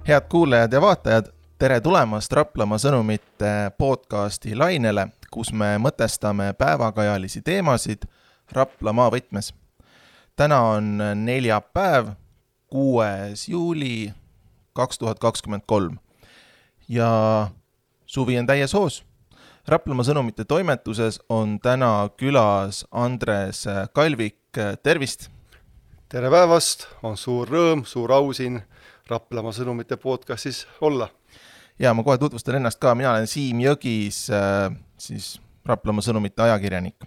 Head kuulajad ja vaatajad, tere tulemast Raplamaa sõnumite podcasti lainele, kus me mõtestame päevakajalisi teemasid Raplamaa võtmes. Täna on neljapäev, 6. juuli 2023 ja suvi on täies hoos. Raplamaa sõnumite toimetuses on täna külas Andres Kalvik, tervist! Tere päevast, on suur rõõm, suur au siin Raplamaa sõnumite podcastis olla. Ja ma kohe tutvustan ennast ka, mina olen Siim Jõgis, siis Raplamaa sõnumite ajakirjanik.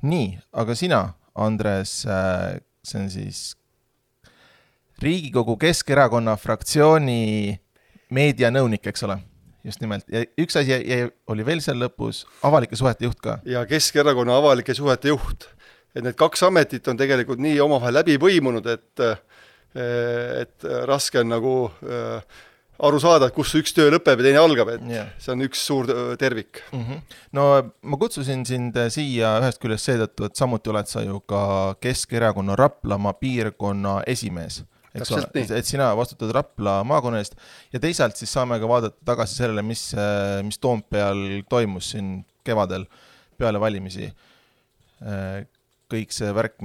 Nii, aga sina, Andres, see on siis Riigikogu Keskerakonna fraktsiooni meedianõunik, eks ole? Just nimelt. Ja üks asi oli veel seal lõpus, avalike suhete juht ka. Ja Keskerakonna avalike suhete juht. Et need kaks ametit on tegelikult nii omavahel läbi põimunud, et raske on nagu aru saada, kus üks töö lõpeb ja teine algab, et see on üks suur tervik. No ma kutsusin sind siia ühest küljest seetõttu, et samuti oled sa ju ka Keskerakonna Raplamaa piirkonna esimees. Et sina vastutad Rapla maakonna eest ja teisalt siis saame ka vaadata tagasi sellele, mis Toompeal toimus siin kevadel peale valimisi. Kõik see värk,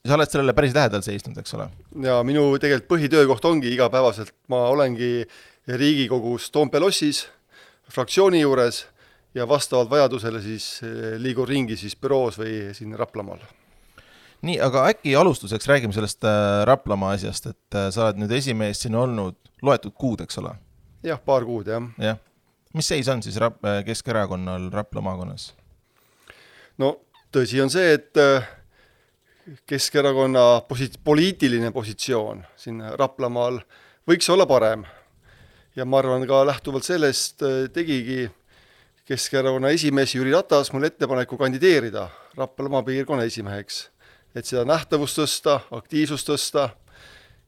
sa oled sellele päris lähedal seisnud, eks ole? Ja minu tegelikult põhitöökoht ongi igapäevaselt. Ma olengi Riigikogus Toompea lossis, fraktsiooni juures ja vastavalt vajadusele siis liigun ringi siis büroos või siin Raplamaal. Nii, aga äkki alustuseks räägime sellest Raplamaa asjast, et sa oled nüüd esimees siin olnud loetud kuud, eks ole? Jah, paar kuud, jah. Ja. Mis seis on siis Keskerakonnal Rapla maakonnas? No tõsi on see, et Keskerakonna poliitiline positsioon siin Raplamaal võiks olla parem. Ja ma arvan ka lähtuvalt sellest tegigi Keskerakonna esimees Jüri Ratas mul ettepaneku kandideerida Raplamaa piirkonna esimeheks. Et seda nähtavust tõsta, aktiivsust tõsta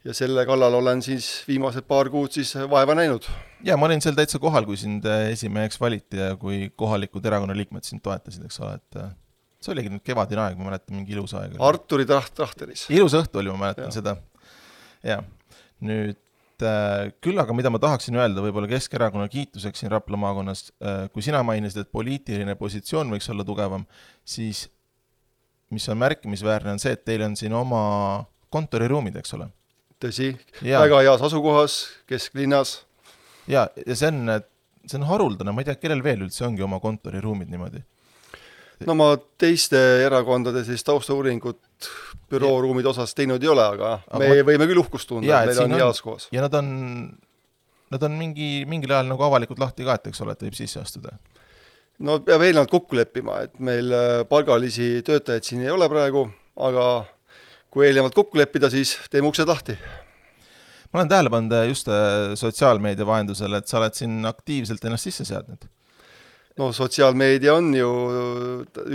ja selle kallal olen siis viimased paar kuud siis vaeva näinud. Ja ma olin seal täitsa kohal, kui sind esimeheks valiti ja kui kohalikud erakonna liikmed sind toetasid, eks ole, et see oligi nüüd kevadine aeg, ma mäletan mingi ilus aeg. Arturi Trahteris. Ilus õhtu oli, ma mäletan seda. Ja, nüüd küll, aga mida ma tahaksin öelda võib-olla Keskerakonna kiituseks siin Rapla maakonnas, kui sina mainisid, et poliitiline positsioon võiks olla tugevam, siis mis on märkimisväärne on see, et teil on siin oma kontoriruumid, eks ole? Tõsi, väga heas asukohas, kesklinnas. Ja see on haruldane, ma ei tea, kellel veel üldse ongi oma kontoriruumid niimoodi? No ma teiste erakondade siis taustauuringut bürooruumide osas teinud ei ole, aga me võime küll uhkust tunda, et meil on heas koos. Ja nad on mingil ajal nagu avalikult lahti ka, et eks ole, et võib sisse astuda. No peab eelnevalt kokku leppima, et meil palgalisi töötajaid siin ei ole praegu, aga kui eelnevalt kokku leppida, siis teeme uksed lahti. Ma olen tähele pannud just sotsiaalmeedia vahendusel, et sa oled siin aktiivselt ennast sisse seadnud. No sotsiaalmeedia on ju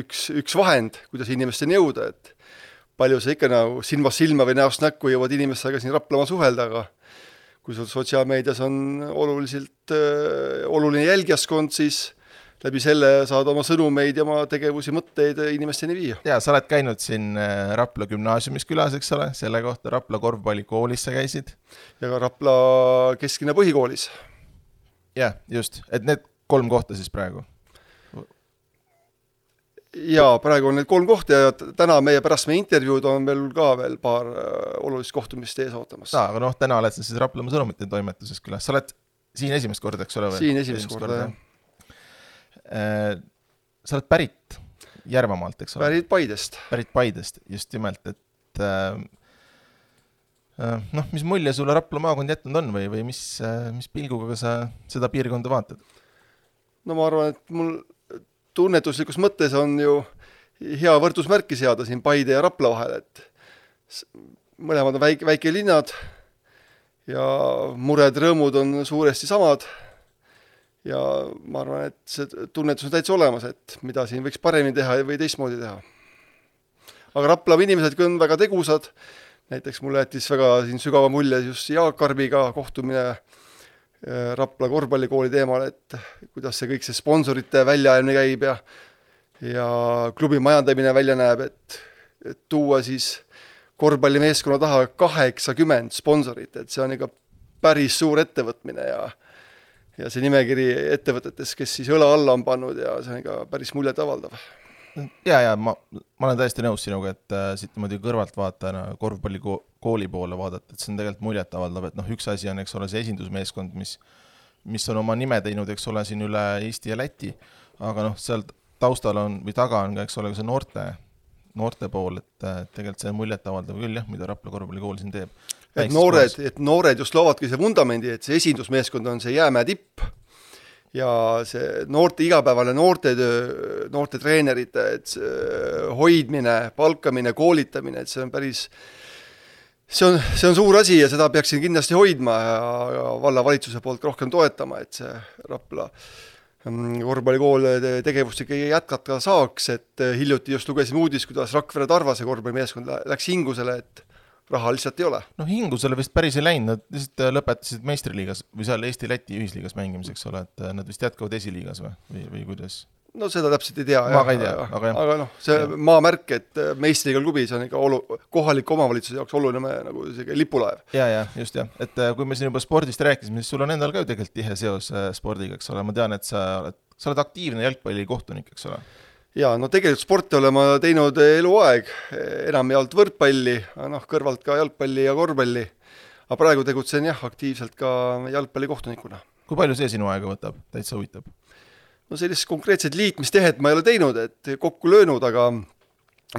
üks vahend, kuidas inimesteni jõuda, et palju see ikka nagu silmast silma või näost näkku jõuavad inimestega siin Raplamaa suhelda, aga kui sotsiaalmeedias on oluline jälgijaskond, siis läbi selle saad oma sõnumeid ja oma tegevusi, mõtteid inimesteni viia. Ja sa oled käinud siin Rapla gümnaasiumis külas, eks ole, selle kohta Rapla korvpallikoolis sa käisid. Ja ka Rapla kesklinna põhikoolis. Ja, just, et need 3 kohta siis praegu? Ja praegu on need 3 kohta ja täna pärast meie intervjuud on meil ka veel paar olulist kohtumist ees ootamas. Aga täna oled sa siis Raplamaa sõnumite toimetuses külas. Sa oled siin esimest korda, eks ole? Siin esimest korda, jah. Sa oled pärit Järvamaalt, eks ole? Pärit Paidest, just nimelt, et mis mulje sulle Rapla maakond jätnud on või mis pilguga sa seda piirkonda vaatad? No ma arvan, et mul tunnetuslikus mõttes on ju hea võrdusmärki seada siin Paide ja Rapla vahel, et mõlemad on väike linnad ja mured, rõõmud on suuresti samad ja ma arvan, et see tunnetus on täitsa olemas, et mida siin võiks paremini teha või teistmoodi teha. Aga Rapla inimesed on väga tegusad, näiteks mulle jättis väga siin sügava mulje just Jaak Karbiga kohtumine Rapla korvpallikooli teemal, et kuidas see kõik see sponsorite väljaajamine käib ja klubi majandamine välja näeb, et tuua siis korvpallimeeskonna taha 80 sponsorit, et see on ikka päris suur ettevõtmine ja see nimekiri ettevõtetes, kes siis õla alla on pannud ja see on ka päris muljet avaldav. Ma olen täiesti nõus sinuga, et siit niimoodi kõrvalt vaatajana korvpallikooli poole vaadata, et see on tegelikult muljet avaldav, et üks asi on, eks ole, see esindusmeeskond, mis on oma nime teinud, eks ole, siin üle Eesti ja Läti, aga seal taustal on või taga on ka, eks ole, see noorte pool, et tegelikult see on muljet avaldav küll, jah, mida Rapla korvpallikool siin teeb. Et noored just loovadki see vundamendi, et see esindusmeeskond on see jäämäe tipp ja see igapäevane noortetöö, noorte treenerite hoidmine, palkamine, koolitamine, et see on päris, see on suur asi ja seda peaksin kindlasti hoidma ja vallavalitsuse poolt rohkem toetama, et see Rapla korvpallikool tegevust ikkagi jätkata saaks, et hiljuti just lugesin uudis, kuidas Rakvere Tarvase korvpallimeeskond läks hingusele, et raha lihtsalt ei ole. Hingusele vist päris ei läinud, nad lihtsalt lõpetasid meistriliigas või seal Eesti-Läti ühisliigas mängimiseks, ole, et nad vist jätkavad esiliigas või kuidas? No seda täpselt ei tea. Ma ka ei tea, aga see maamärk, et meistriliigal klubi, see on ikka kohaliku omavalitsuse jaoks oluline nagu lipulaev. Ja, just jah. Et kui me siin juba spordist rääkisime, siis sul on endal ka ju tegelikult tihe seos spordiga, eks ole. Ma tean, et sa oled aktiivne jalgpalli kohtunik, eks ole. Ja, no tegelikult sporti olen ma teinud eluaeg, enamjaolt võrkpalli, kõrvalt ka jalgpalli ja korvpalli. Aga praegu tegutsen aktiivselt ka jalgpalli kohtunikuna. Kui palju see sinu aega võtab? Täitsa huvitab? No sellist konkreetset liitmistehet ma ei ole teinud, et kokku löönud, aga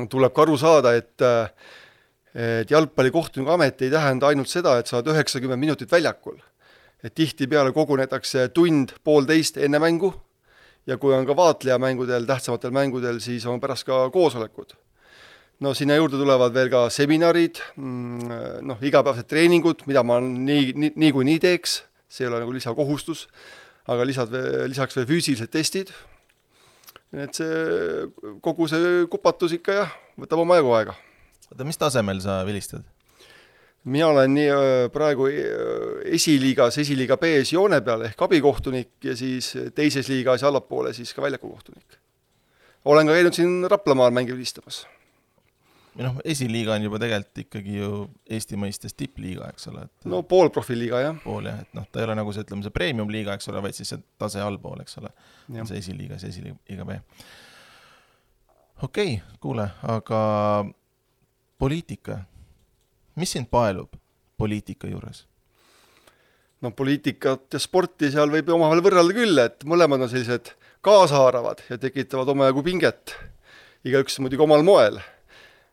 tuleb ka aru saada, et jalgpalli kohtuniku amet ei tähenda ainult seda, et sa oled 90 minutit väljakul. Et tihti peale kogunetakse tund-poolteist enne mängu, ja kui on ka vaatleja mängudel, tähtsamatel mängudel, siis on pärast ka koosolekud. No sinna juurde tulevad veel ka seminarid, igapäevased treeningud, mida ma nii teeks, see ei ole nagu lisakohustus, aga lisaks veel füüsilised testid. Et kogu see kupatus ikka võtab oma aega. Mis tasemel sa vilistad? Mina olen praegu esiliiga B-s joone peal ehk abikohtunik ja siis teises liigas ja allapoole siis ka väljakukohtunik. Olen ka käinud siin Raplamaal mängi vilistamas. Esiliiga on juba tegelikult ikkagi ju Eesti mõistes tippliiga, eks ole. No pool profiliiga, jah. Pool, jah. Et ta ei ole nagu see, ütleme, see premium liiga, eks ole, vaid siis see tase allpool, eks ole. See esiliiga, see esiliiga B. Okei, kuule, aga poliitika. Mis sind paelub poliitika juures? No poliitikat ja sporti seal võib omavahel võrrelda küll, et mõlemad on sellised kaasaaravad ja tekitavad omajagu pinget. Igaüks muidugi omal moel.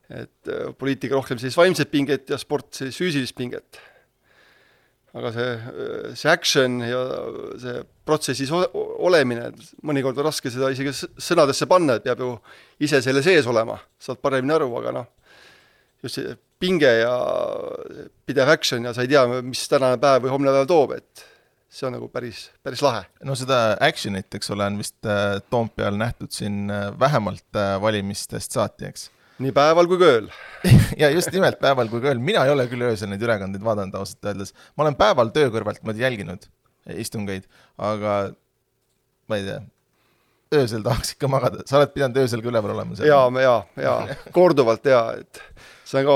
Et poliitika rohkem sellist vaimset pinget ja sport sellist füüsilist pinget. Aga see action ja see protsessis olemine, mõnikord on raske seda isegi sõnadesse panna, et peab ju ise selle sees olema. Saad paremini aru, aga just see pinge ja pidev action ja sa ei tea, mis tänane päev või homne päev toob, et see on nagu päris lahe. No seda actionit, eks ole, on vist Toompeal nähtud siin vähemalt valimistest saati, eks? Nii päeval kui kööl. Ja just nimelt päeval kui kööl. Mina ei ole küll öösel neid ülekandeid vaadanud ausalt öeldes. Ma olen päeval töö kõrvalt jälginud istungeid, aga ma ei tea, öösel tahaks ikka magada. Sa oled pidanud öösel ka üleval olema? Ja, korduvalt et see on ka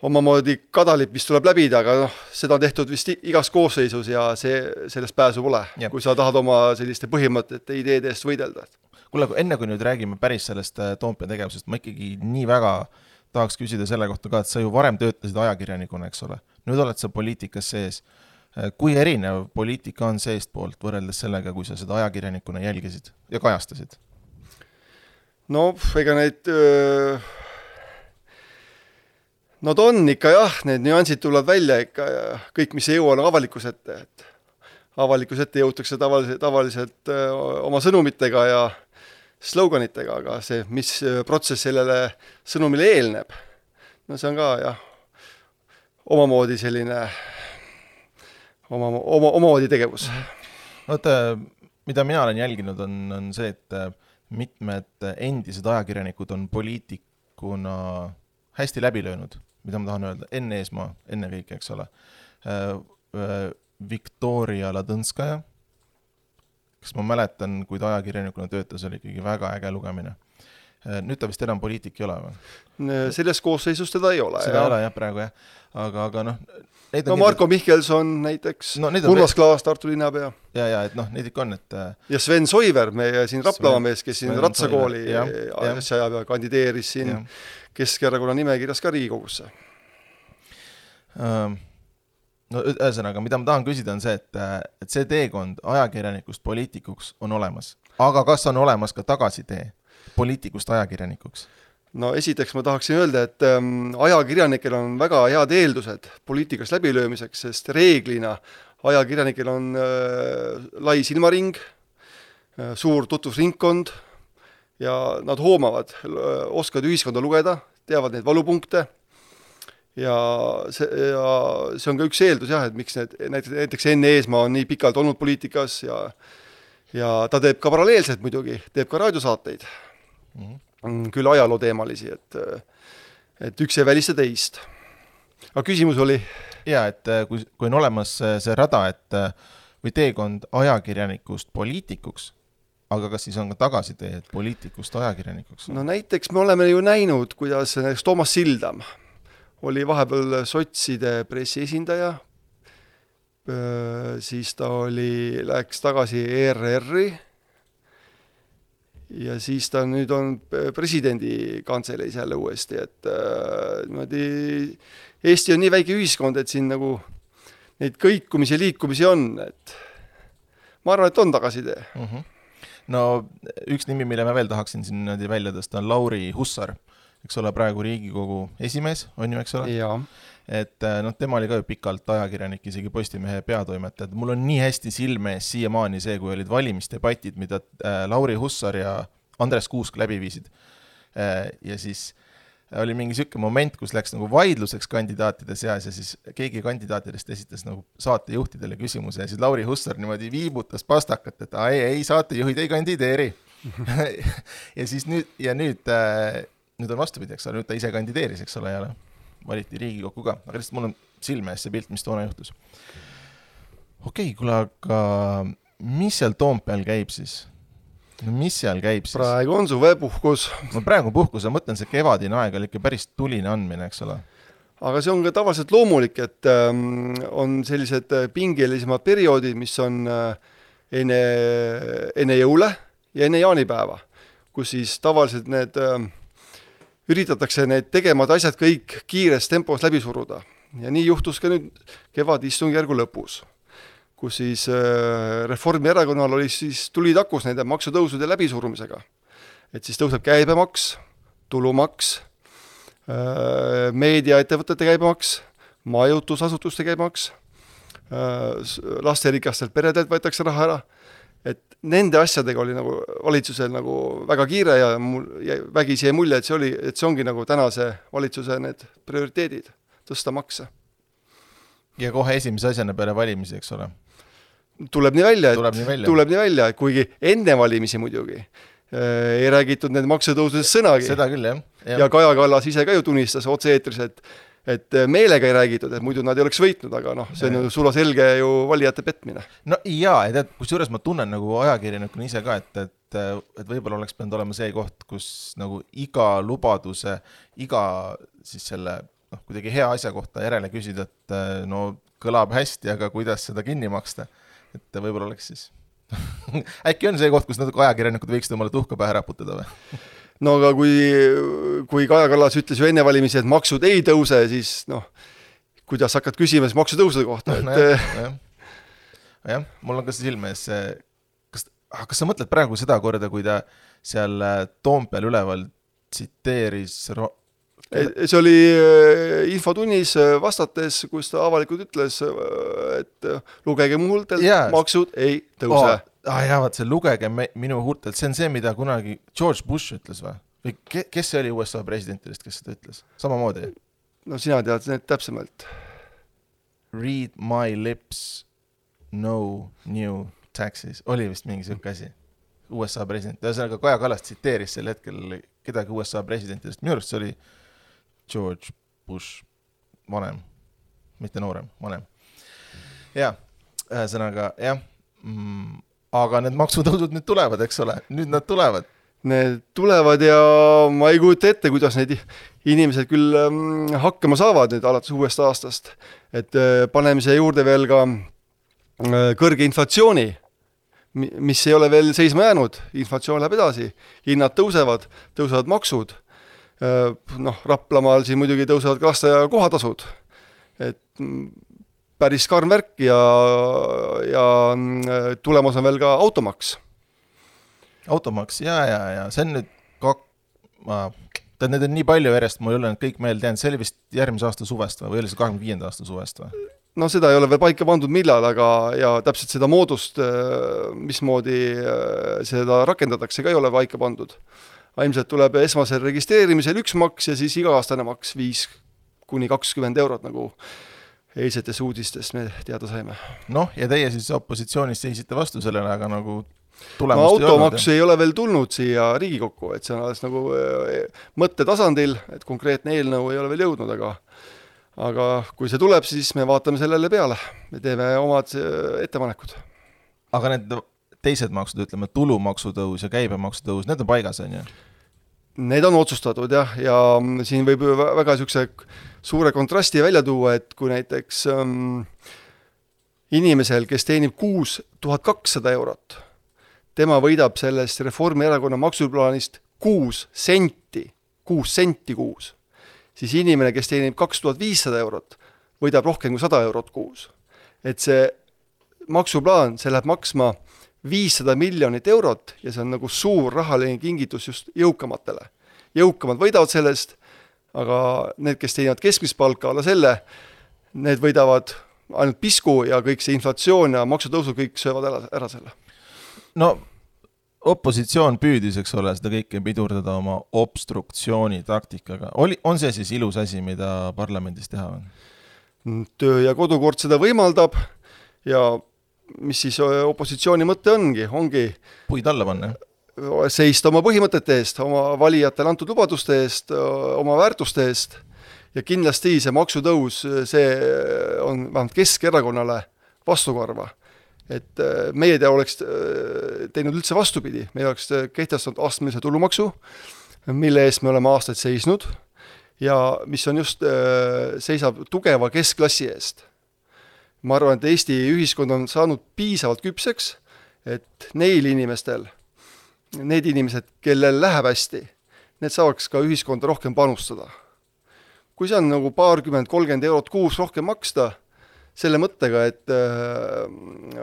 omamoodi kadalip, mis tuleb läbida, aga seda on tehtud vist igas koosseisus ja sellest pääsu pole, kui sa tahad oma selliste põhimõtete ideede eest võidelda. Kuule, enne kui nüüd räägime päris sellest Toompea tegevusest, ma ikkagi nii väga tahaks küsida selle kohta ka, et sa ju varem töötasid ajakirjanikuna, eks ole. Nüüd oled sa poliitikas sees. Kui erinev poliitika on seest poolt võrreldes sellega, kui sa seda ajakirjanikuna jälgisid ja kajastasid? No, ega neid... Nad on ikka need nüansid tulevad välja ikka ja kõik, mis ei jõua avalikus ette. Avalikus ette jõutakse tavaliselt oma sõnumitega ja sloganitega, aga see, mis protsess sellele sõnumile eelneb, no see on ka omamoodi selline omamoodi tegevus. Mida mina olen jälginud on see, et mitmed endised ajakirjanikud on poliitikuna hästi läbi löönud, mida ma tahan öelda, enne Eesmaa, enne kõik, eks ole. Viktoria Ladõnskaja, kes ma mäletan, kui ta ajakirjanikuna töötas, oli ikkagi väga äge lugemine. nüüd ta vist enam poliitik ei ole või? Selles koosseisus teda ei ole. Seda ei ole jah praegu jah, aga noh Marko Mihkelson näiteks, Urmas Klaas, Tartu linnapea. Ja, et noh, neid ikka on, et ja Sven Soiver, meie siin Raplava mees, kes siin Ratsakooli asja ajal kandideeris siin Keskerakonna nimekirjas ka Riigikogusse. No ühesõnaga, mida ma tahan küsida on see, et see teekond ajakirjanikust poliitikuks on olemas. Aga kas on olemas ka tagasitee poliitikust ajakirjanikuks? No esiteks ma tahaksin öelda, et ajakirjanikel on väga head eeldused poliitikas läbilöömiseks, sest reeglina ajakirjanikel on lai silmaring, suur tutvusringkond ja nad hoomavad, oskavad ühiskonda lugeda, teavad neid valupunkte ja see on ka üks eeldus jah, et miks näiteks Enn Eesmaa on nii pikalt olnud poliitikas ja ta teeb ka paralleelselt muidugi, teeb ka raadiosaateid. Küll ajaloo teemalisi, et üks ei välista teist. Aga küsimus oli? Ja, et kui on olemas see rada, või teekond ajakirjanikust poliitikuks, aga kas siis on ka tagasitee, et poliitikust ajakirjanikuks? No näiteks me oleme ju näinud, kuidas Toomas Sildam oli vahepeal sotside pressiesindaja, siis ta läks tagasi ERR-i ja siis ta nüüd on presidendi kantseleis jälle uuesti, et Eesti on nii väike ühiskond, et siin nagu neid kõikumisi ja liikumisi on, et ma arvan, et on tagasitee. No üks nimi, mille ma veel tahaksin siin välja tõsta, on Lauri Hussar, eks ole, praegu Riigikogu esimees, on ju, eks ole? Jaa. Et tema oli ka ju pikalt ajakirjanik, isegi Postimehe peatoimetaja. Mul on nii hästi silme ees siiamaani see, kui olid valimisdebatid, mida Lauri Hussar ja Andres Kuusk läbi viisid. Ja siis oli mingi selline moment, kus läks nagu vaidluseks kandidaatide seas ja siis keegi kandidaatidest esitas nagu saatejuhtidele küsimuse ja siis Lauri Hussar niimoodi viibutas pastakat, et ei saatejuhid ei kandideeri. Ja siis nüüd on vastupidi, eks ole, nüüd ta ise kandideeris, eks ole, ja valiti Riigikokku ka, aga lihtsalt mul on silme ees see pilt, mis toona juhtus. Okei, kuule, aga mis seal Toompeal käib siis? No mis seal käib siis? Praegu on suvepuhkus. No praegu puhkus, ma mõtlen, see kevadine aeg oli ikka päris tuline andmine, eks ole. Aga see on ka tavaliselt loomulik, et on sellised pingelisemad perioodid, mis on enne jõule ja enne jaanipäeva, kus siis tavaliselt üritatakse need tegemad asjad kõik kiires tempos läbi suruda. Ja nii juhtus ka nüüd kevadistungjärgu lõpus, kus siis Reformierakonnal oli siis tuli takus nende maksutõusude läbisurumisega. Et siis tõuseb käibemaks, tulumaks, meediaettevõtete käibemaks, majutusasutuste käibemaks, lasterikastelt peredelt võetakse raha ära. Et nende asjadega oli nagu valitsusel nagu väga kiire ja vägisi jäi mulje, et see ongi nagu tänase valitsuse need prioriteedid, tõsta makse. Ja kohe esimese asjana peale valimisi, eks ole? Tuleb nii välja, kuigi enne valimisi muidugi ei räägitud need maksutõusudest sõnagi. Seda küll, jah. Ja Kaja Kallas ise ka ju tunnistas otse-eetris, et meelega ei räägitud, et muidu nad ei oleks võitnud, aga see on ju sula selge ju valijate petmine. No jaa, et kusjuures ma tunnen nagu ajakirjanikuna ise ka, et võib-olla oleks pidanud olema see koht, kus nagu iga lubaduse, iga siis selle kuidagi hea asja kohta järele küsida, et no kõlab hästi, aga kuidas seda kinni maksta, et võib-olla oleks siis äkki on see koht, kus natuke ajakirjanikud võiksid omale tuhka pähe raputada või? No aga kui Kaja Kallas ütles ju enne valimisi, et maksud ei tõuse, siis kuidas hakkad küsima siis maksutõusude kohta? Jah, mul on ka silme ees kas sa mõtled praegu seda korda, kui ta seal Toompeal üleval tsiteeris see oli infotunnis vastates, kus ta avalikult ütles, et lugege mu huultelt, maksud ei tõuse. Vaat see lugege minu huultelt, see on see, mida kunagi George Bush ütles või? Või kes see oli USA presidentidest, kes seda ütles? Samamoodi? No sina tead need täpsemalt. Read my lips, no new taxes. Oli vist mingi selline asi. USA president. Ühesõnaga Kaja Kallas tsiteeris sel hetkel kedagi USA presidentidest. Minu arust see oli George Bush vanem, mitte noorem, vanem. Ja, ühesõnaga, jah. Aga need maksutõusud nüüd tulevad, eks ole? Nüüd nad tulevad. need tulevad ja ma ei kujuta ette, kuidas need inimesed küll hakkama saavad nüüd alates uuest aastast. Et paneme siia juurde veel ka kõrge inflatsiooni, mis ei ole veel seisma jäänud. Inflatsioon läheb edasi, hinnad tõusevad maksud. Raplamaal siin muidugi tõusevad ka lasteaia kohatasud. Et päris karm värk ja tulemas on veel ka automaks. Automaks, ja see on nüüd need on nii palju järjest, mul ei ole kõik meelde jäänud, see oli vist järgmise aasta suvest või oli see 25. aasta suvest või? No seda ei ole veel paika pandud millal, aga ja täpselt seda moodust, mismoodi seda rakendatakse, ka ei ole paika pandud. Ilmselt tuleb esmasel registreerimisel üks maks ja siis iga-aastane maks 5-20 eurot, nagu eilsetes uudistest me teada saime. Ja teie siis opositsioonis seisite vastu sellele, aga nagu automaks ei ole veel tulnud siia Riigikokku, et see on alles nagu mõtte tasandil, et konkreetne eelnõu ei ole veel jõudnud, aga kui see tuleb, siis me vaatame sellele peale. Me teeme omad ettepanekud. Aga need teised maksud, ütleme, tulumaksutõus ja käibemaksutõus, need on paigas, on ju? Need on otsustatud, jah, ja siin võib väga suure kontrasti välja tuua, et kui näiteks inimesel, kes teenib 6200 eurot, tema võidab sellest Reformierakonna maksuplaanist 6 senti kuus. Siis inimene, kes teenib 2500 eurot, võidab rohkem kui 100 eurot kuus. Et see maksuplaan, see läheb maksma 500 miljonit eurot ja see on nagu suur rahaline kingitus just jõukamatele. Jõukamad võidavad sellest, aga need, kes teenivad keskmist palka alla selle, need võidavad ainult pisku ja kõik see inflatsioon ja maksutõusu kõik söövad ära selle. Opositsioon püüdis, eks ole, seda kõike pidurdada oma obstruktsiooni taktikaga. On see siis ilus asi, mida parlamendis teha on? Töö ja kodukord seda võimaldab ja mis siis opositsiooni mõte ongi puid alla panna? Seista oma põhimõtete eest, oma valijatele antud lubaduste eest, oma väärtuste eest ja kindlasti see maksutõus, see on vähemalt Keskerakonnale vastukarva. Et meie oleks teinud üldse vastupidi, me oleks kehtestanud astmelise tulumaksu, mille eest me oleme aastaid seisnud ja mis on just, seisab tugeva keskklassi eest. Ma arvan, et Eesti ühiskond on saanud piisavalt küpseks, et need inimesed, kellel läheb hästi, need saaks ka ühiskonda rohkem panustada. Kui see on nagu 20-30 eurot kuus rohkem maksta, selle mõttega, et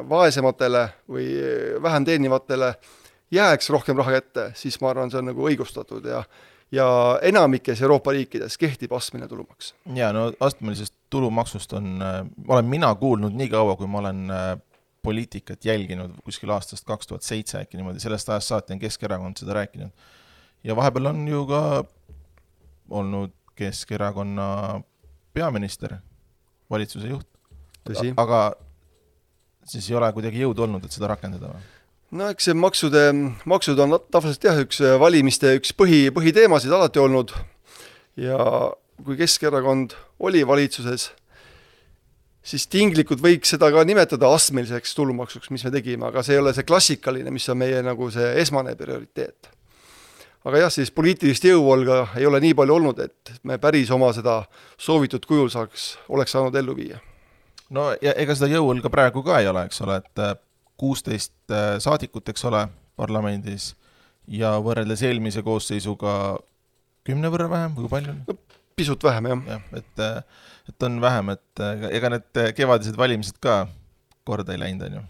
vaesematele või vähem teenivatele jääks rohkem raha kätte, siis ma arvan, see on nagu õigustatud ja enamikes Euroopa riikides kehtib astmeline tulumaks. Ja astmelisest tulumaksust olen mina kuulnud nii kaua, kui ma olen poliitikat jälginud kuskil aastast 2007 äkki niimoodi, sellest ajast saati on Keskerakond seda rääkinud. Ja vahepeal on ju ka olnud Keskerakonna peaminister, valitsuse juht. Tõsi. Aga siis ei ole kuidagi jõud olnud, et seda rakendada või? Eks see maksud on tavaliselt üks valimiste üks põhiteemasid alati olnud ja kui Keskerakond oli valitsuses, siis tinglikult võiks seda ka nimetada astmeliseks tulumaksuks, mis me tegime, aga see ei ole see klassikaline, mis on meie nagu see esmane prioriteet. Aga jah, siis poliitilist jõuvolga ei ole nii palju olnud, et me päris oma seda soovitud kujul oleks saanud ellu viia. Ja ega seda jõul ka praegu ka ei ole, eks ole, et 16 saadikut, eks ole, parlamendis ja võrreldes eelmise koosseisuga 10 võrra vähem või palju? Pisut vähem, jah. Et on vähem, et ega need kevadised valimised ka korda ei läinud, on ju?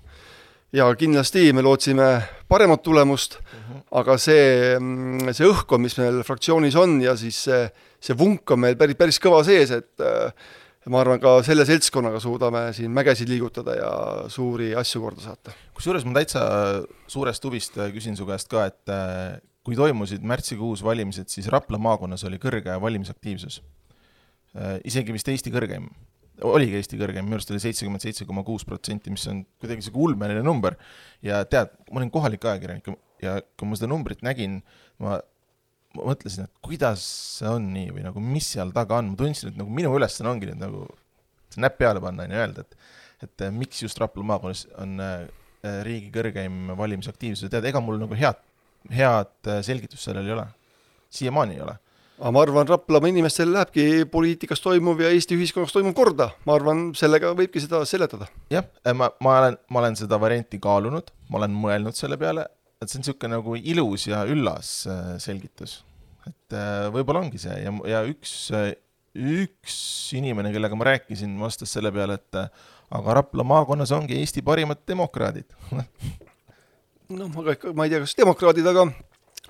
Ja kindlasti me lootsime paremat tulemust, aga see õhkkond, mis meil fraktsioonis on ja siis see vunk on meil päris kõva sees, et ma arvan, ka selle seltskonnaga suudame siin mägesid liigutada ja suuri asju korda saata. Kusjuures ma täitsa suurest huvist küsin su käest ka, et kui toimusid märtsikuus valimised, siis Rapla maakonnas oli kõrge valimisaktiivsus. Isegi vist Eesti kõrgeim. Oligi Eesti kõrgeim, minu arust oli 77,6%, mis on kuidagi see ulmeline number. Ja tead, ma olin kohalik ajakirjanik ja kui ma seda numbrit nägin, ma mõtlesin, et kuidas see on nii või nagu mis seal taga on. Ma tundsin, et nagu minu ülesanne ongi nüüd nagu näpp peale panna ja öelda, et miks just Rapla maakonnas on riigi kõrgeim valimisaktiivsus. Tead, ega mul nagu head head selgitust sellel ei ole. Siiamaani ei ole. Aga ma arvan, Raplamaa inimestel lähebki poliitikas toimuv ja Eesti ühiskonnas toimuv korda. Ma arvan, sellega võibki seda seletada. Jah, ma olen seda varianti kaalunud, ma olen mõelnud selle peale, et see on niisugune nagu ilus ja üllas selgitus. Et võib-olla ongi see ja üks inimene, kellega ma rääkisin, vastas selle peale, et aga Rapla maakonnas ongi Eesti parimad demokraadid. No, ma ei tea, kas demokraadid, aga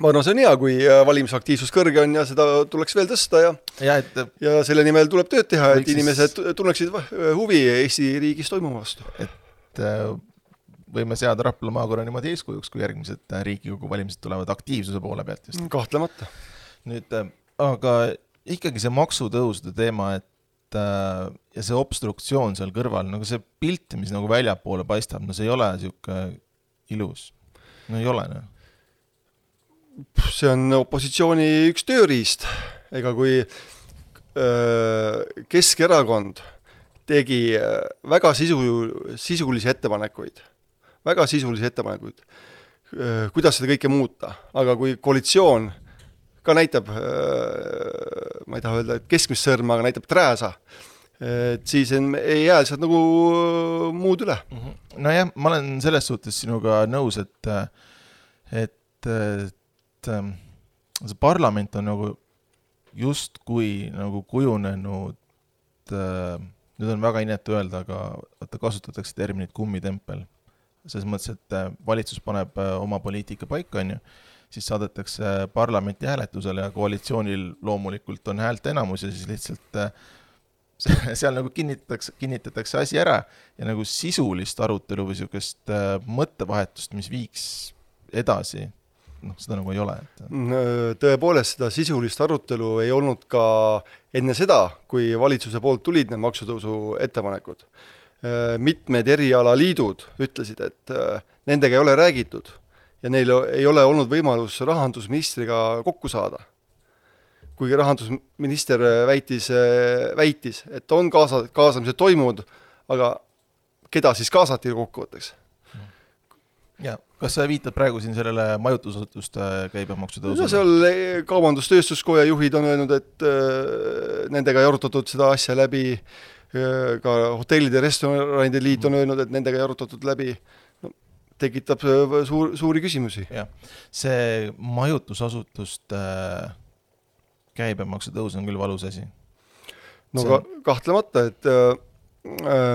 ma arvan, see on hea, kui valimisaktiivsus kõrge on ja seda tuleks veel tõsta ja selle nimel tuleb tööd teha, et inimesed tunneksid huvi Eesti riigis toimuva vastu. Et võime seada Rapla maakonna niimoodi eeskujuks, kui järgmised Riigikogu valimised tulevad aktiivsuse poole pealt just. Kahtlemata. Nüüd, aga ikkagi see maksutõusude teema, et ja see obstruktsioon seal kõrval, nagu see pilt, mis nagu väljapoole paistab, no see ei ole siuke ilus. No ei ole, no. See on opositsiooni üks tööriist. Ega kui Keskerakond tegi väga sisulisi ettepanekuid, kuidas seda kõike muuta, aga kui koalitsioon ka näitab, ma ei taha öelda, et keskmist sõrma, aga näitab trääsa, et siis ei jää sealt nagu muud üle. No jah, ma olen selles suhtes sinuga nõus, et see parlament on nagu justkui nagu kujunenud, nüüd on väga inetu öelda, aga kasutatakse terminit kummitempel. Selles mõttes, et valitsus paneb oma poliitika paika, siis saadetakse parlamenti hääletusele ja koalitsioonil loomulikult on häält enamus ja siis lihtsalt seal nagu kinnitatakse asi ära ja nagu sisulist arutelu või niisugust mõttevahetust, mis viiks edasi, seda nagu ei ole. Tõepoolest, seda sisulist arutelu ei olnud ka enne seda, kui valitsuse poolt tulid need maksutõusu ettepanekud. Mitmed erialaliidud ütlesid, et nendega ei ole räägitud ja neil ei ole olnud võimalus rahandusministriga kokku saada. Kuigi rahandusminister väitis, et on kaasamised toimunud, aga keda siis kaasati kokkuvõtteks? Ja, kas sa viitad praegu siin sellele majutusasutuste käibemaksu tõusule? No seal kaubandustööstuskoja juhid on öelnud, et nendega ei arutatud seda asja läbi, ka hotellide ja restoranide liit on öelnud, et nendega ei arutatud läbi, tekitab suuri küsimusi. Ja, see majutusasutuste käibemaksu tõus on küll valus asi. No kahtlemata, et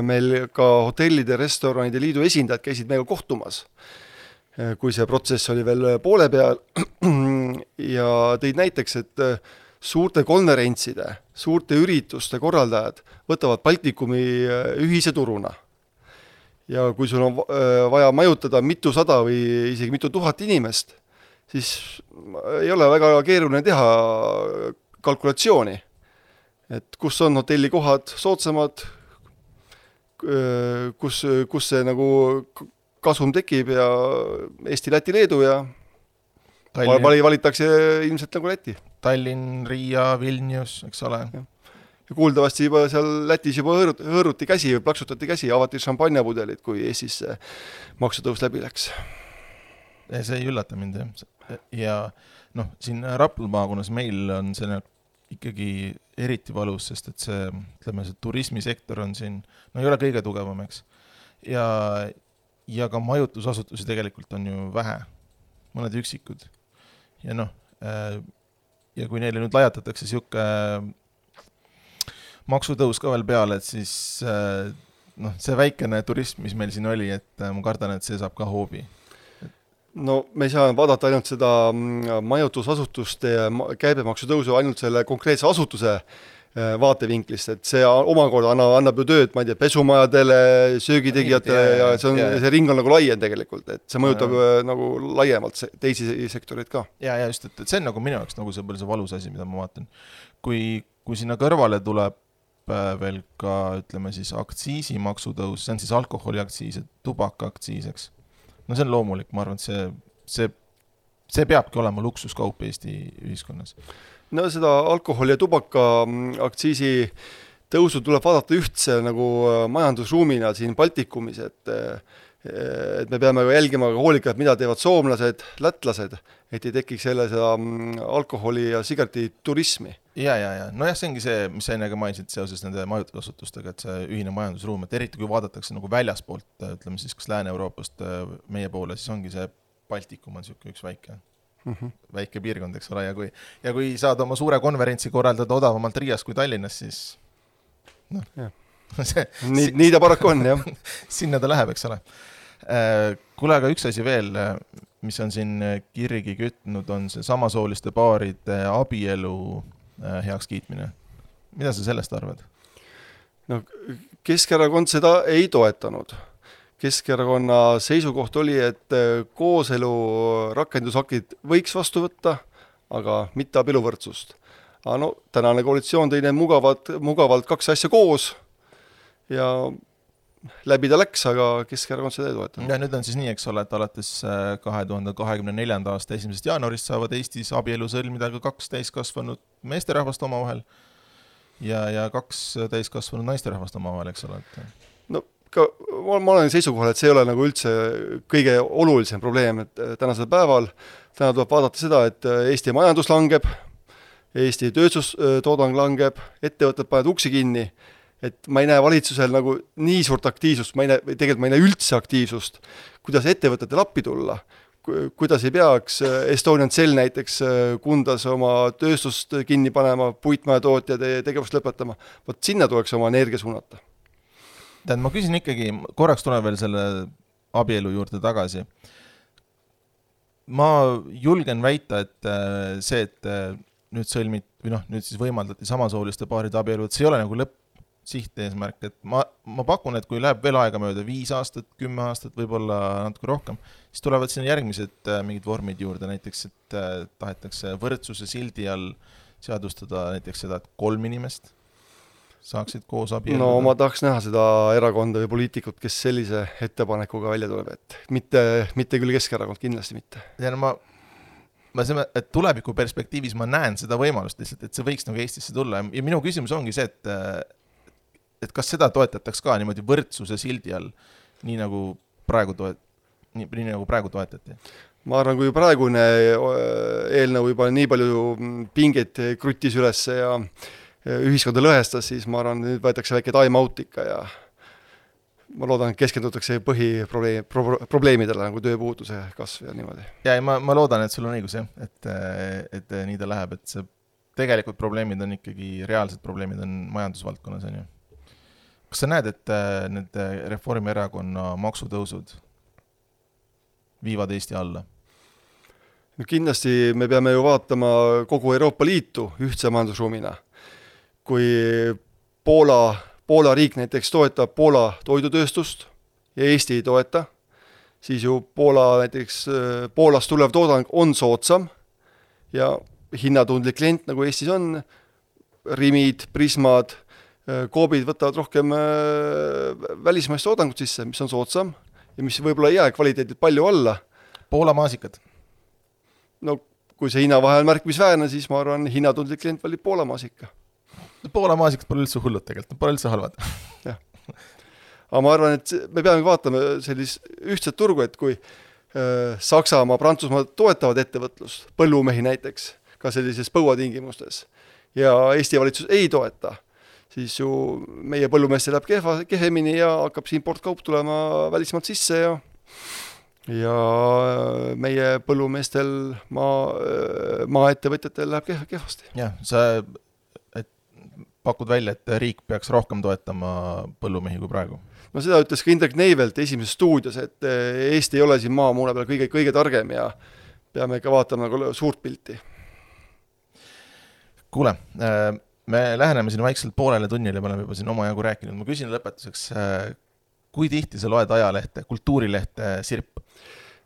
meil ka hotellide ja restoranide liidu esindajad käisid meiega kohtumas, kui see protsess oli veel poole peal ja tõid näiteks, et suurte konverentside, suurte ürituste korraldajad võtavad Baltikumi ühise turuna. Ja kui sul on vaja majutada mitusada või isegi mitu tuhat inimest, siis ei ole väga keeruline teha kalkulatsiooni, et kus on hotellikohad soodsamad, kus see nagu kasum tekib ja Eesti, Läti, Leedu ja valitakse ilmselt nagu Läti. Tallinn, Riia, Vilnius, eks ole. Ja kuuldavasti juba seal Lätis juba hõõruti käsi või plaksutati käsi, avati šampanjapudelid, kui Eestis maksutõus läbi läks. See ei üllata mind, jah. Ja siin Rapla maakonnas meil on see ikkagi eriti valus, sest et see turismisektor on siin, ei ole kõige tugevam, eks. Ja ka majutusasutusi tegelikult on ju vähe, mõned üksikud. Ja ja kui neile nüüd lajatatakse siuke maksutõus ka veel peale, et siis see väikene turism, mis meil siin oli, et ma kardan, et see saab ka hoobi. No me ei saa vaadata ainult seda majutusasutuste käibemaksu tõusu ainult selle konkreetse asutuse vaatevinklist, et see omakorda annab ju tööd, ma ei tea, pesumajadele, söögitegijatele ja see ring on nagu laiem tegelikult, et see mõjutab nagu laiemalt teisi sektoreid ka. Ja just, et see on nagu minu jaoks nagu see valus asi, mida ma vaatan. Kui sinna kõrvale tuleb veel ka, ütleme siis, aktsiisimaksutõus, see on siis alkoholiaktsiis, tubakaaktsiis, eks. See on loomulik, ma arvan, et see peabki olema luksuskaup Eesti ühiskonnas. No seda alkoholi ja tubaka aktsiisi tõusu tuleb vaadata ühtse nagu majandusruumina siin Baltikumis, et me peame jälgima hoolikalt, mida teevad soomlased, lätlased, et ei tekiks jälle seda alkoholi ja sigareti turismi. Ja. Nojah, see ongi see, mis sa ennegi mainisid seoses nende majutusasutustega, et see ühine majandusruum, et eriti kui vaadatakse nagu väljaspoolt, ütleme siis kas Lääne-Euroopast meie poole, siis ongi see Baltikum on üks väike piirkond, eks ole, ja kui saad oma suure konverentsi korraldada odavamalt Riias kui Tallinnas, siis nii ta paraku on, jah. Sinna ta läheb, eks ole. Kuule, aga üks asi veel, mis on siin kirgi kütnud, on see samasooliste paaride abielu heaks kiitmine. Mida sa sellest arvad? No, Keskerakond seda ei toetanud. Keskerakonna seisukoht oli, et kooselu rakendusakid võiks vastu võtta, aga mitte abieluvõrdsust. Aga no, tänane koalitsioon tõi need mugavalt kaks asja koos ja läbi ta läks, aga Keskerakond seda ei toetanud. Ja nüüd on siis nii, eks ole, et alates 2024. aasta 1. jaanuarist saavad Eestis abielu sõlmida ka 2 täiskasvanud meesterahvast omavahel ja 2 täiskasvanud naisterahvast omavahel, eks ole. No, ma olen seisukohal, et see ei ole nagu üldse kõige olulisem probleem, et tänasel päeval tuleb vaadata seda, et Eesti majandus langeb, Eesti tööstustoodang langeb, ettevõtted panevad uksi kinni, et ma ei näe valitsusel nagu nii suurt aktiivsust, ma ei näe üldse aktiivsust, kuidas ettevõtetel appi tulla, kuidas ei peaks Estonian Cell näiteks Kundas oma tööstust kinni panema, puitmajatootjad tegevust lõpetama, võt sinna tuleks oma energia suunata. Ma küsin ikkagi, korraks tuleb veel selle abielu juurde tagasi. Ma julgen väita, et see, et nüüd nüüd siis võimaldati samasooliste paaride abielu, et see ei ole nagu sihteesmärk, et ma pakun, et kui läheb veel aega mööda 5 aastat, 10 aastat, võib-olla natuke rohkem, siis tulevad sinna järgmised mingid vormid juurde, näiteks, et tahetakse võrdsuse sildi all seadustada näiteks seda, et 3 inimest saaksid koos abielluda. No ma tahaks näha seda erakonda või poliitikut, kes sellise ettepanekuga välja tuleb, et mitte küll Keskerakond, kindlasti mitte. Ja et tuleviku perspektiivis ma näen seda võimalust lihtsalt, et see võiks nagu Eestisse tulla ja minu küsimus ongi see, et kas seda toetataks ka niimoodi võrdsuse sildi all, nii nagu praegu toetati? Ma arvan, kui praegune eelnõu juba nii palju pingeid kruttis üles ja ühiskonda lõhestas, siis ma arvan, nüüd võetakse väike time out ikka ja ma loodan, et keskendutakse põhiprobleemidele nagu tööpuuduse kasv ja niimoodi. Ja ma loodan, et sul on õigus, et nii ta läheb, et see tegelikult probleemid on ikkagi, reaalsed probleemid on majandusvaldkonnas, on ju. Kas sa näed, et need Reformierakonna maksutõusud viivad Eesti alla? No kindlasti me peame ju vaatama kogu Euroopa Liitu ühtse majandusruumina. Kui Poola riik näiteks toetab Poola toidutööstust ja Eesti ei toeta, siis ju Poolast tulev toodang on soodsam ja hinnatundlik klient, nagu Eestis on, Rimid, Prismad, Koobid võtavad rohkem välismaist toodangut sisse, mis on soodsam ja mis võib-olla ei jää kvaliteedilt palju alla. Poola maasikad? No kui see hinnavahe on märkimisväärne, siis ma arvan, hinnatundlik klient valib Poola maasika. Poola maasikad pole üldse hullud tegelikult, pole üldse halvad. Jah. Aga ma arvan, et me peame vaatama sellist ühtset turgu, et kui Saksamaa, Prantsusmaa toetavad ettevõtlust, põllumehi näiteks, ka sellises põuatingimustes, ja Eesti valitsus ei toeta, siis ju meie põllumeestel läheb kehemini ja hakkab see importkaup tulema välismaalt sisse ja meie põllumeestel maaettevõtjatel läheb kehvasti. Jah, sa pakud välja, et riik peaks rohkem toetama põllumehi kui praegu? No seda ütles ka Indrek Neivelt esimeses stuudios, et Eesti ei ole siin maamuune peal kõige targem ja peame ikka vaatama nagu suurt pilti. Kuule, me läheneme siin vaikselt poolele tunnile, me oleme juba siin oma jagu rääkinud. Ma küsin lõpetuseks, kui tihti sa loed ajalehte, kultuurilehte Sirp?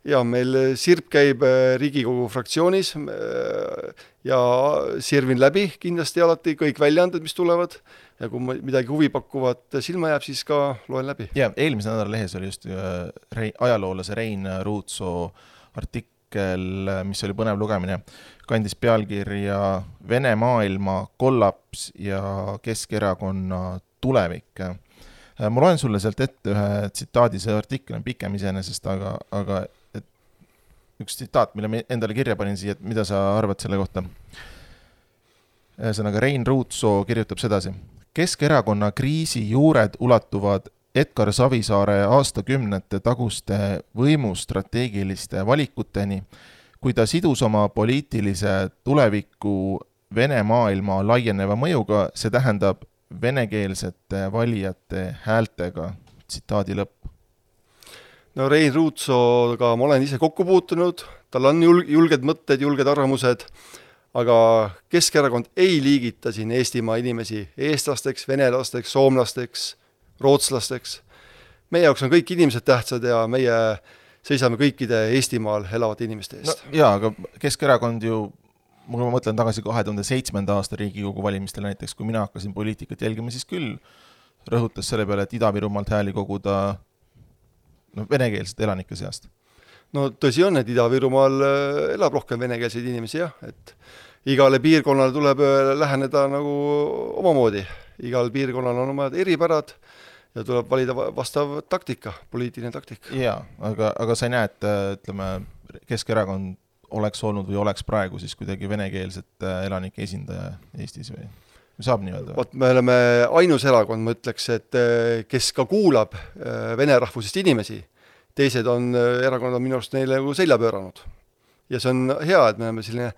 Ja meil Sirp käib Riigikogu fraktsioonis ja sirvin läbi kindlasti alati kõik väljaanded, mis tulevad ja kui midagi huvipakkuvat silma jääb, siis ka loen läbi. Ja eelmise nädala lehes oli just ajaloolase Rein Ruutsoo artikkel, mis oli põnev lugemine, kandis pealkirja Vene maailma kollaps ja Keskerakonna tulevik. Ma loen sulle sealt ette ühe tsitaadi, see artikkel on pikem iseenesest, aga et üks tsitaat, mille me endale kirja panin siia, et mida sa arvad selle kohta. Ühesõnaga Rein Ruutsoo kirjutab sedasi. Keskerakonna kriisi juured ulatuvad Edgar Savisaare aastakümnete taguste võimustrateegiliste valikuteni, kui ta sidus oma poliitilise tuleviku Vene maailma laieneva mõjuga, see tähendab venekeelsete valijate häältega, tsitaadi lõpp. No Rein Ruutsooga ma olen ise kokku puutunud, tal on julged mõtted, julged arvamused, aga Keskerakond ei liigita siin Eestimaa inimesi eestlasteks, venelasteks, soomlasteks, rootslasteks. Meie jaoks on kõik inimesed tähtsad ja meie seisame kõikide Eestimaal elavate inimeste eest. No, jaa, aga Keskerakond ju, kui ma mõtlen tagasi 2007. aasta Riigikogu valimistele näiteks, kui mina hakkasin poliitikat jälgima, siis küll rõhutas selle peale, et Ida-Virumaalt hääli koguda venekeelsete elanike seast. No tõsi on, et Ida-Virumaal elab rohkem venekeelseid inimesi, jah, et igale piirkonnale tuleb läheneda nagu omamoodi. Igal piirkonnal on omad eripärad ja tuleb valida vastav taktika, poliitiline taktika. Jaa, aga sa ei näe, et ütleme, Keskerakond oleks olnud või oleks praegu siis kuidagi venekeelset elanike esindaja Eestis või saab nii öelda? Me oleme ainus erakond, ma ütleks, et kes ka kuulab vene rahvusest inimesi, teised erakonnad on minu arust neile selja pööranud. Ja see on hea, et me oleme selline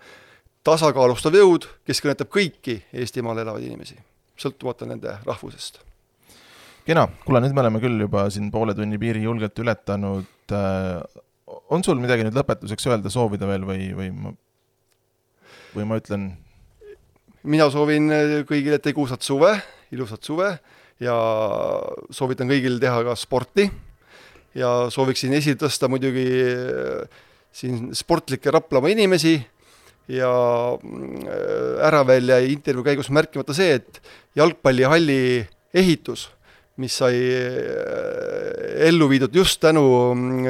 tasakaalustav jõud, kes kõnetab kõiki Eestimaal elavaid inimesi, sõltumata nende rahvusest. Kena, kuule, nüüd me oleme küll juba siin poole tunni piiri julgelt ületanud. On sul midagi nüüd lõpetuseks öelda, soovida veel või ma ütlen? Mina soovin kõigile tegusat suve, ilusat suve ja soovitan kõigil teha ka sporti ja sooviksin esitõsta muidugi siin sportlikke Raplamaa inimesi ja ära veel jäi intervjuu käigus märkimata see, et jalgpallihalli ehitus, mis sai ellu viidud just tänu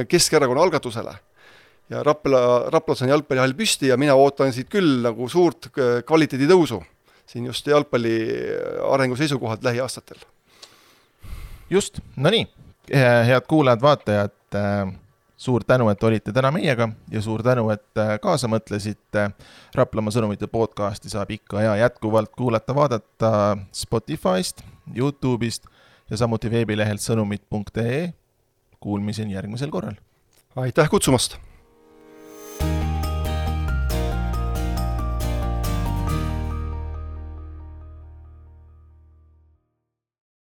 Keskerakonna algatusele. Ja Raplas on jalgpallihall püsti ja mina ootan siit küll nagu suurt kvaliteedi tõusu siin just jalgpalli arengu seisukohalt lähiaastatel. Just, no nii, head kuulajad, vaatajad, suur tänu, et olite täna meiega ja suur tänu, et kaasa mõtlesite. Raplamaa sõnumite podcasti saab ikka ja jätkuvalt kuulata, vaadata Spotify'st, YouTube'ist ja samuti veebilehelt sõnumid.ee. Kuulmiseni järgmisel korral. Aitäh kutsumast!